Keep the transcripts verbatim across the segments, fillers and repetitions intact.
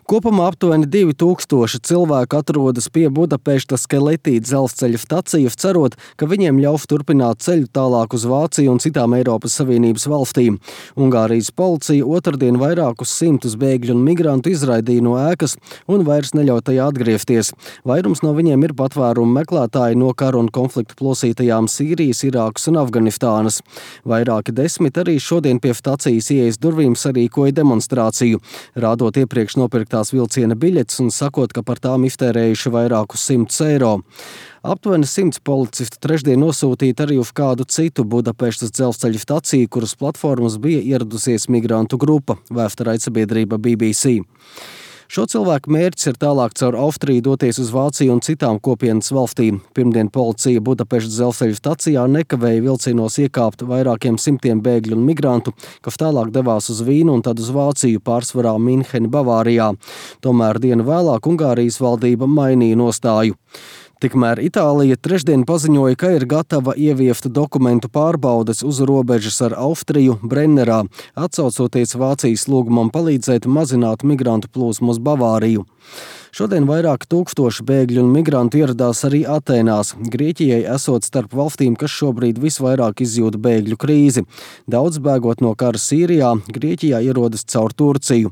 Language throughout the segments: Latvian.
Kopumā aptuveni divi tūkstoši cilvēku atrodas pie Budapeštas Keleti dzelzceļa stacija, cerot, ka viņiem ļaus turpināt ceļu tālāk uz Vāciju un citām Eiropas Savienības valstīm. Ungārijas policija otrdien vairākus simtus bēgļu un migrantu izraidīja no ēkas un vairs neļauj tajā atgriezties. Vairums no viņiem ir patvērumu meklētāji no kara un konfliktu plosītajām Sīrijas, Irākas un Afganistānas. Vairāki desmit arī šodien pie stacijas ieejas durvīm sarīkoja demonstrāciju, rādot iepriekš nopirktā vilciena biļetes un sakot, ka par tām iztērējuši vairākus simtus eiro. Aptuveni simts policistu trešdien nosūtīti arī uz kādu citu Budapeštas dzelzceļa staciju, kuras platformas bija ieradusies migrantu grupa, vēsta raidsabiedrība B B C. Šo cilvēku mērķis ir tālāk caur Austriju doties uz Vāciju un citām kopienas valstīm. Pirmdien policija Budapeštas dzelzceļa stacijā nekavēja vilcienos iekāpt vairākiem simtiem bēgļu un migrantu, kas tālāk devās uz Vīnu un tad uz Vāciju, pārsvarā Minheni, Bavārijā. Tomēr dienu vēlāk Ungārijas valdība mainīja nostāju. Tikmēr Itālija trešdien paziņoja, ka ir gatava ieviest dokumentu pārbaudes uz robežas ar Austriju Brennerā, atsaucoties Vācijas lūgumam palīdzēt mazināt migrantu plūsmu uz Bavāriju. Šodien vairāk tūkstoši bēgļu un migrantu ieradās arī Atēnās, Grieķijai esot starp valstīm, kas šobrīd visvairāk izjūta bēgļu krīzi. Daudz bēgot no kara Sīrijā, Grieķijā ierodas caur Turciju.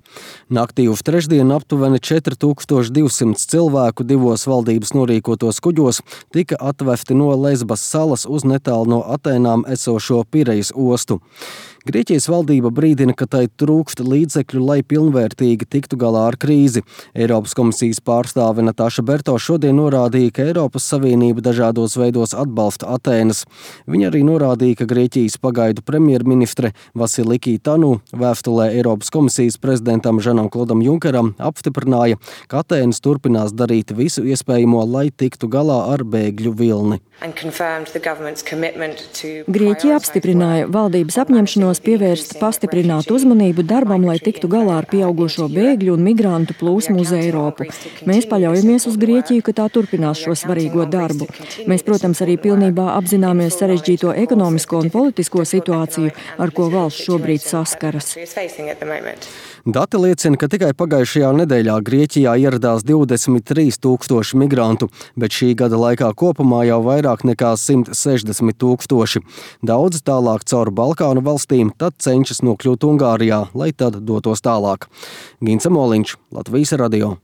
Naktī uz trešdienu aptuveni četri tūkstoši divsimt cilvēku divos valdības norīkotos kuģos tika atvesti no Lesbas salas uz netālu no Atēnām esošo Pirejas ostu. Grieķijas valdība brīdina, ka tai trūkst līdzekļu, lai pilnvērtīgi tiktu galā ar krīzi. Eiropas komisijas pārstāve Natāša Berto šodien norādīja, ka Eiropas Savienība dažādos veidos atbalsta Atēnas. Viņa arī norādīja, ka Grieķijas pagaidu premjerministre Vasiliki Tanu vēstulē Eiropas komisijas prezidentam Žanam Klodam Junkeram apstiprināja, ka Atēnas turpinās darīt visu iespējamo, lai tiktu galā ar bēgļu vilni. Grieķija apstiprināja valdības apņemšanos pievērst pastiprinātu uzmanību darbam, lai tiktu galā ar pieaugušo bēgļu un migrantu plūsmu uz Eiropu. Mēs paļaujamies uz Grieķiju, ka tā turpinās šo svarīgo darbu. Mēs, protams, arī pilnībā apzināmies sarežģīto ekonomisko un politisko situāciju, ar ko valsts šobrīd saskaras. Dati liecina, ka tikai pagājušajā nedēļā Grieķijā ieradās divdesmit trīs tūkstoši migrantu, bet šī gada laikā kopumā jau vairāk nekā simt sešdesmit tūkstoši. Daudzi tālāk caur Balkānu valstīm, tad cenšas nokļūt Ungārijā, lai tad dotos tālāk. Gins Amoliņš, Latvijas radio.